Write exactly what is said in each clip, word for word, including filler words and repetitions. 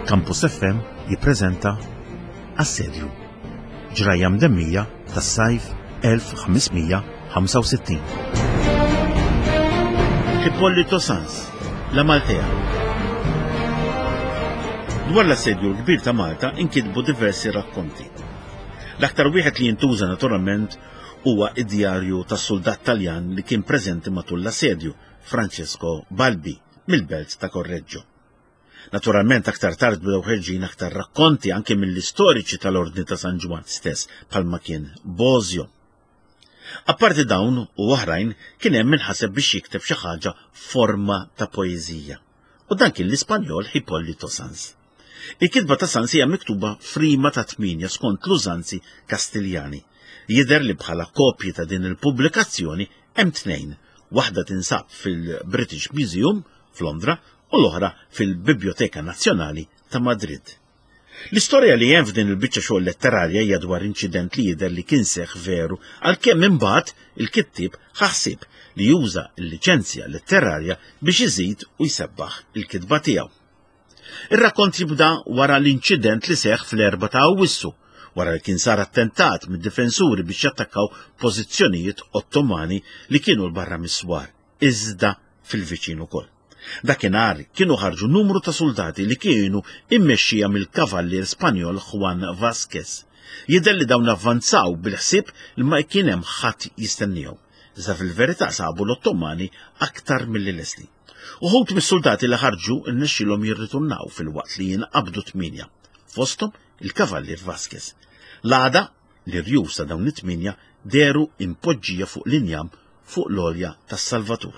Campus F M jippreżenta Assedju. Ġrajja mdemmija tas-sajf elf u ħames mija u ħamsa u sittin. Hipólito Sans, La Maltea. Dwar l-assedju l-kbir ta' Malta inkitbu diversi rakkonti. L-aktar wieħed li jintuża naturalment huwa id-djarju tas-soldat Taljan li kien preżenti matul l-assedju, Francesco Balbi, mill-belt ta' Correggio. Naturalment, aktar tard bdew ħerġin aktar rakkonti anke mill-istoriċi tal-Ordni ta' San Ġwann stess, bħalma kien Bosio. Apparti dawn u oħrajn, kien hemm min ħaseb biex jikteb xi ħaġa forma ta' poeżija. U dan kien l-Ispanjol Hipólito Sans. Il-kitba ta' Sans hija miktuba f'rima ta' tminja skont l-użanzi Kastiljani. Jidher li bħala kopji ta' din il-pubblikazzjoni hemm tnejn. Waħda tinsab fil-British Museum f'Londra u l-oħra fil-Biblioteka Nazzjonali ta' Madrid. L-istorja li hemm f'din il-biċċa xogħol letterarja hija dwar inċident li jidher li kien seħ veru, għalkemm imbagħad il-kittieb ħasib li juża l-liċenzja letterarja biex iżid u jsebbaħ il-kitba tiegħu. Ir-rakkont jibda wara l-inċident li seħ fl-erba ta' Awwissu, wara li kien sar attentat mid-difensuri biex jattakkaw pożizzjonijiet Ottomani li kienu 'l barra mis-swar, iżda fil-viċin ukoll. Dakinhar kienu ħarġu numru ta' soldati li kienu immexxija mill-kavallier Spanjol Juan Vasquez. Jidher li dawn avvanzaw bil-ħsieb li ma kien hemm ħadd jistennihom. Iżda fil-verità sabu l-Ottomani aktar milli lesti. Uħud mis-soldati li ħarġu rnexxilhom jirritornaw, filwaqt li jinqabdu tminja. Fosthom il-kavallier Vasquez. L-għada, l-irjus ta' dawn it-tminja dehru impoġġija fuq l-injam fuq l-għolja tas-Salvatur.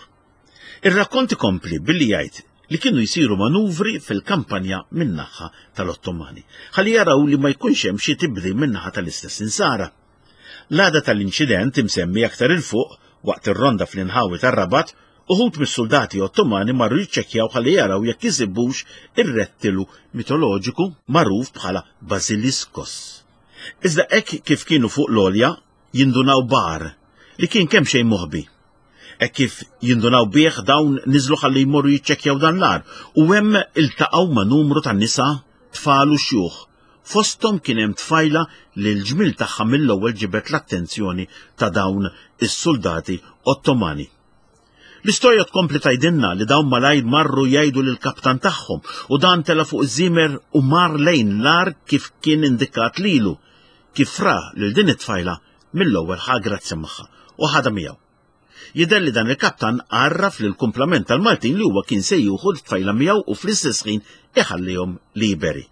Ir-rakkont ikompli billi jgħid li kienu jsiru manuvri fil-kampanja min-naħa tal-Ottomani, ħalli jaraw li ma jkunx hemm xi tibdil min-naħa tal-istess insara. L-għada tal-inċident imsemmi aktar 'il fuq, waqt ir-ronda fl-inħawi tar-Rabat, uħud mis-soldati Ottomani marru jiċċekkjaw ħalli jaraw jekk isibux ir-rettilu mitoloġiku magħruf bħala Basiliskos. Iżda hekk kif kienu fuq l-għolja, jindunaw b'għar li kien kemm xejn moħbi. Hekk kif jindunaw bih, dawn niżlu ħalli jmorru jiċċekkjaw dan l-għar u hemm iltaqgħu ma' numru ta' nisa, tfal u xjuħ. Fosthom kien hemm tfajla li l-ġmil tagħha mill-ewwel ġibet l-attenzjoni ta' dawn is-soldati Ottomani. L-istorja tkompli tgħidilna li dawn malajr marru jgħidu lil kaptan tagħhom u dan tela fuq iż-żimer u mar lejn l-għar kif kien indikat lilu. Kif ra lil din it-tfajla, mill-ewwel ħa grazzja magħha u ħadha miegħu. Jidher li dan il-kaptan għarraf lil kumplament tal-Maltin li huwa kien se jieħu t-tfajla miegħu u fl-istess ħin iħallihom liberi.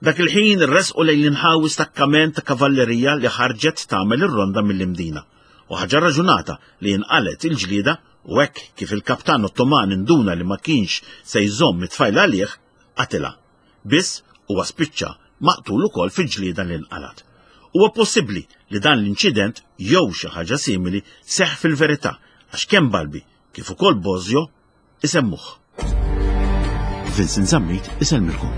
Dak il-ħin resqu lejn l-inħawi stakkament ta' kavallerija li ħarġet tagħmel ir-ronda mill-Imdina. U ħaġa raġunata li inqalet il-ġlida u hekk kif il-kaptan Ottoman induna li ma kienx se jżomm it-tfajla għalih, qatilha. Biss huwa spiċċa maqtul ukoll fil-ġlieda li nqalat. Huwa possibbli li dan l-inċident jew xi ħaġa simili seħ fil-verità, għax kemm Balbi kif ukoll Bosio isemmuh. Vincent Zammit isellmilkom.